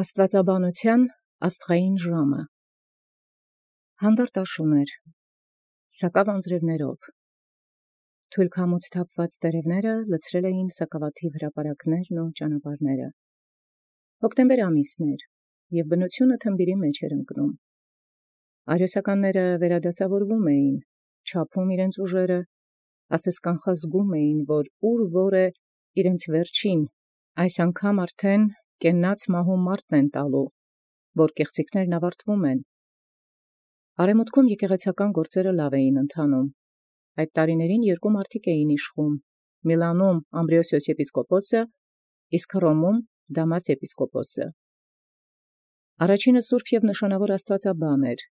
Աստուածաբանութեան աստղային ժամը հանդարտ աշուն էր, սակավ անձրևներով, թույլ քամուց թափված տերևները լցրել էին սակավաթիվ հրապարակներն ու ճանապարհները։ Հոկտեմբեր ամիսն էր, և բնությունը թմբիրի մեջ էր ընկնում։ Արիոսականները վերադասավորվում էին, չափում իրենց ուժերը, ասես կանխազգում էին, որ ուր է իրենց վերջին, այս անգամ արդեն կենաց մահու մարտն են տալու, որ կեղծիքներն ավարտվում են։ Արևմուտքում եկեղեցական գործերը լավ էին ընթանում։ Այդ տարիներին երկու մարդիկ էին իշխում. Միլանում Ամբրիոսիոս եպիսկոպոսը, իսկ Հռոմում Դամաս եպիսկոպոսը։ Առաջինը սուրբ և նշանավոր աստվածաբան էր,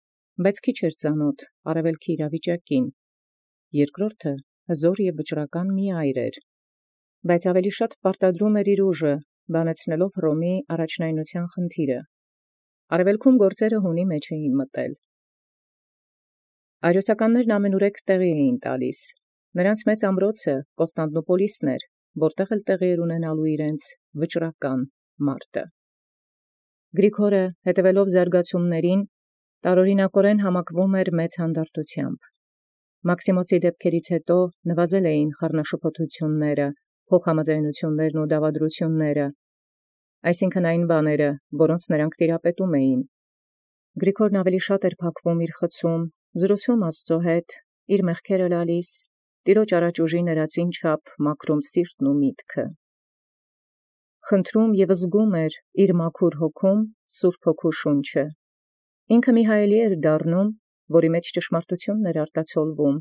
բայց քիչ էր ծանոթ արևելքի իրավիճակին. երկրորդը հզոր և վճռական մի այր էր, բայց ավելի շատ պարտադրում էր իր ուժը, բանեցնելով Հռոմի առաջնայնության խնդիրը։ Արևելքում գործերը հունի մեջ էին մտել։ Արիոսականներն ամենուրեք տեղի էին տալիս։ Նրանց մեծ ամրոցը Կոստանդնուպոլիսն էր, որտեղ էլ տեղի էր ունենալու իրենց վճռական մարտը։ Գրիգորը, հետևելով զարգացումներին, տարօրինակորեն համակվում էր մեծ հանդարտությամբ։ Մաքսիմոսի դեպքերից հետո նվազել էին խառնաշփոթությունները, փոխհամաձայնություններն ու դավադրությունները, այսինքն այն բաները, որոնց նրանք տիրապետում էին։ Գրիգորն ավելի շատ էր փակվում իր խցում, զրուցում Աստծո հետ, իր մեղքերը լալիս, տիրոջ առաջ ուժի ներածին չափ մաքրում սիրտն ու միտքը։ Խնդրում և զգում էր իր մաքուր հոգում Սուրբ Հոգու շունչը։ Ինքը մի հայելի էր դառնում, որի մեջ ճշմարտությունն էր արտացոլվում։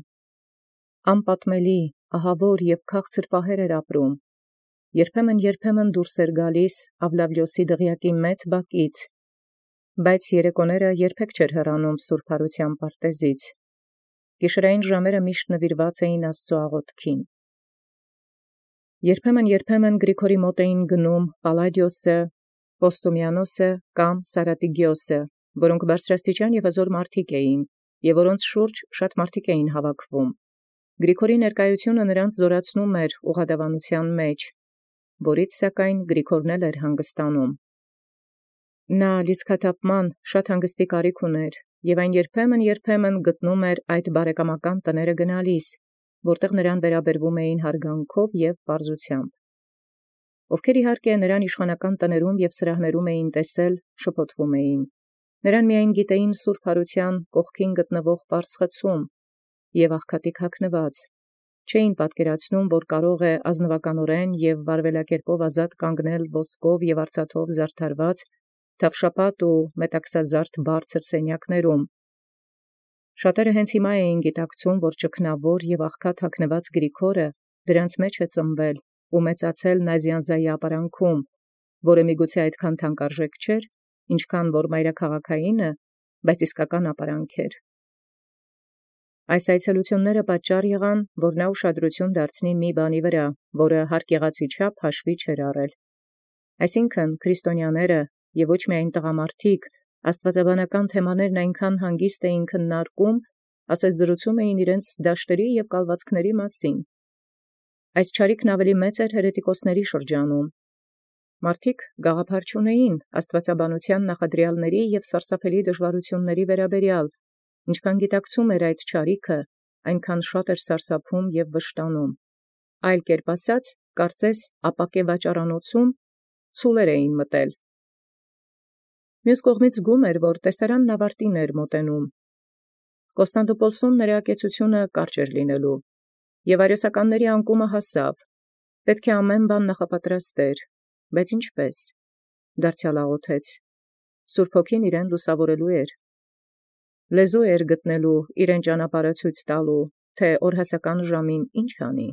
Անպատմելի, ահավոր և քաղցր պահեր էր ապրում։ Երբեմն դուրս էր գալիս Ավլավիոսի դղյակի մեծ բակից, բայց երեկոները երբեք չէր հեռանում սուրբ հարության պարտեզից։ Գիշերային ժամերը միշտ նվիրված էին Աստծո աղոթքին։ Երբեմն Գրիգորի մոտ էին գնում Պալլադիոսը, Պոստումիանոսը կամ Սարատիգիոսը, որոնք բարձրաստիճան և հզոր մարդիկ էին, և որոնց շուրջ շատ մարդիկ էին հավաքվում։ Գրիգորի ներկայությունը նրանց զորացնում էր ուղղադավանության մեջ, որից սակայն Գրիգորն էլ էր հանգստանում։ Նա լիցքաթափման շատ հանգստի կարիք ուներ, և այն երբեմն գտնում էր այդ բարեկամական տները գնալիս, որտեղ նրան վերաբերվում էին հարգանքով և պարզությամբ։ Ովքեր իհարկե նրան իշխանական տներում և սրահներում էին տեսել, շփոթվում էին։ Նրան միայն գիտեին սուրբ հարության կողքին գտնվող պարզ խցում և աղքատիկ հագնված, չէին պատկերացնում, որ կարող է ազնվականորեն և վարվելակերպով ազատ կանգնել ոսկով և արծաթով զարդարված, թավշապատ ու մետաքսազարդ բարձր սենյակներում։ Շատերը հենց հիմա էին գիտակցում, որ ճգնավոր և աղքատ հագնված Գրիգորը դրանց մեջ է ծնվել ու մեծացել Նազյանզայի ապարանքում, որը միգուցե այդքան թանկարժեք չէր, ինչքան որ մայրաքաղաքայինը, բայց իսկական ապարանք էր։ Այս այցելությունները պատճառ եղան, որ նա ուշադրություն դարձնի մի բանի վրա, որը հարկ եղածի չափ հաշվի չէր առել։ Այսինքն քրիստոնյաները և ոչ միայն տղամարդիկ աստվածաբանական թեմաներն այնքան հանգիստ էին քննարկում, ասես զրուցում էին իրենց դաշտերի և կալվածքների մասին։ Այս չարիքն ավելի մեծ էր հերետիկոսների շրջանում։ Մարդիկ գաղափար չունեին աստվածաբանության նախադրյալների և սարսափելի դժվարությունների վերաբերյալ, ինչքան գիտակցում էր այդ չարիքը, այնքան շատ էր սարսափում և վշտանում։ Այլ կերպ ասած, կարծես ապակե վաճառանոցում ցուլեր էին մտել։ Մյուս կողմից զգում էր, որ տեսարանն ավարտին էր մոտենում։ Կոստանդնուպոլսում նրա կեցությունը կարճ էր լինելու, և արիոսականների անկումը հասավ։ Պետք է ամեն բան նախապատրաստեր, բայց ինչպե՞ս։ Դարձյալ աղոթեց։ Սուրբ Հոգին իրեն լուսավորելու էր։ Լեզու էր գտնելու իրեն ճանապարհը ցույց տալու, թե օրհասական ժամին ինչ անի։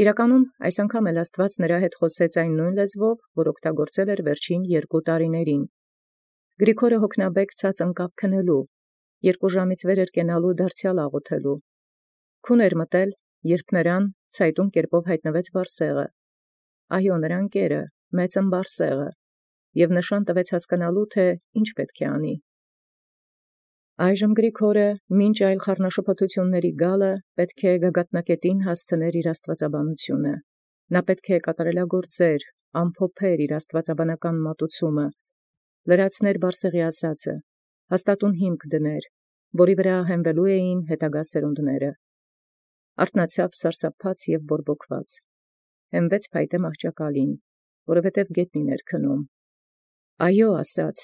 Իրականում այս անգամ էլ Աստված նրա հետ խոսեց այն նույն լեզվով, որ օգտագործել էր վերջին 2 տարիներին։ Գրիգորը հոգնաբեկ ցած ընկավ քնելու, 2 ժամից վեր էր կենալու դարձյալ աղոթելու։ Քուն էր մտել, երբ նրան ցայտուն կերպով հայտնվեց Բարսեղը։ Այո, նրա ընկերը, մեծ ըմբարսեղը, և նշան տվեց հասկանալու, թե ինչ պետք է անի։ Այժմ Գրիգորը, մինչ այլ խառնաշփոթությունների գալը, պետք է գագաթնակետին հասցներ իր աստվածաբանությունը։ Նա պետք է կատարելագործեր, ամփոփեր իր աստուածաբանական մատուցումը, լրացներ Բարսեղի ասածը, հաստատուն հիմք դներ, որի վրա հենվելու էին հետագա սերունդները։ Արթնացավ սարսափած և բորբոքված, հենվեց փայտե մահճակալին, որովհետև գետնին էր քնում։ Այո, ասաց,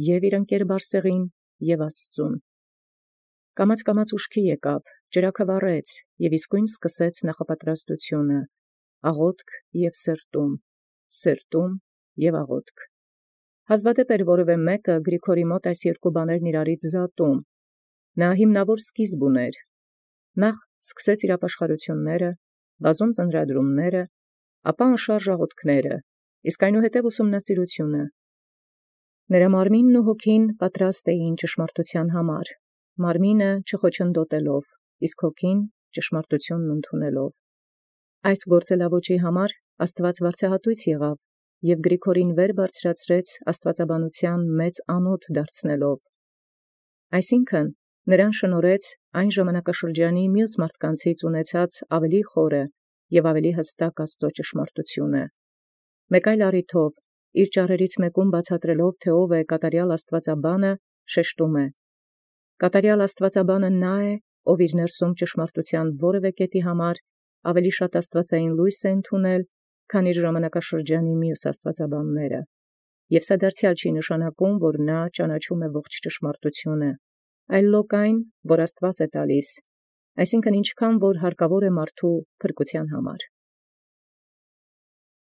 և իր ընկեր Բարսեղին, և Աստծուն։ Կամաց ուշքի եկավ, ճրագը վառեց, և իսկույն սկսեց նախապատրաստությունը, աղոթք և սրտում և աղոթք։ Հազվադեպ էր որևէ մեկը Գրիգորի մոտ այս երկու բաներն իրարից զատում։ Նա հիմնավոր սկիզբ ուներ. նախ սկսեց իր ապաշխարությունները, բազում ծնրադրումները, ապա անշարժ աղոթքները, իսկ այնուհետև ուսումնասիրությունը։ Նրա մարմինն ու հոգին պատրաստ էին ճշմարտության համար, մարմինը չխոչընդոտելով, իսկ հոգին ճշմարտությունն ընդունելով։ Այս գործելաոճի համար Աստուած վարձահատույց եղավ և Գրիգորին վեր բարձրացրեց աստուածաբանության մեծ անոթ դարձնելով։ Այսինքն, նրան շնորհեց այն ժամանակաշրջանի մյուս մարդկանցից ունեցած ավելի խորը և ավելի հստակ Աստուծո ճշմարտությունը։ Մեկ այլ առիթով, իր ճառերից մեկում բացատրելով, թե ով է կատարյալ աստուածաբանը, շեշտում է. կատարյալ աստուածաբանը նա է, ով իր ներսում ճշմարտության որևէ կետի համար ավելի շատ աստուածային լույս է ընդունել, քան իր ժամանակաշրջանի մյուս աստուածաբանները, և սա դարձյալ չի նշանակում, որ նա ճանաչում է ողջ ճշմարտությունը, այլ լոկ այն, որ Աստուած է տալիս, այսինքն ինչքան որ հարկավոր է մարդու փրկության համար։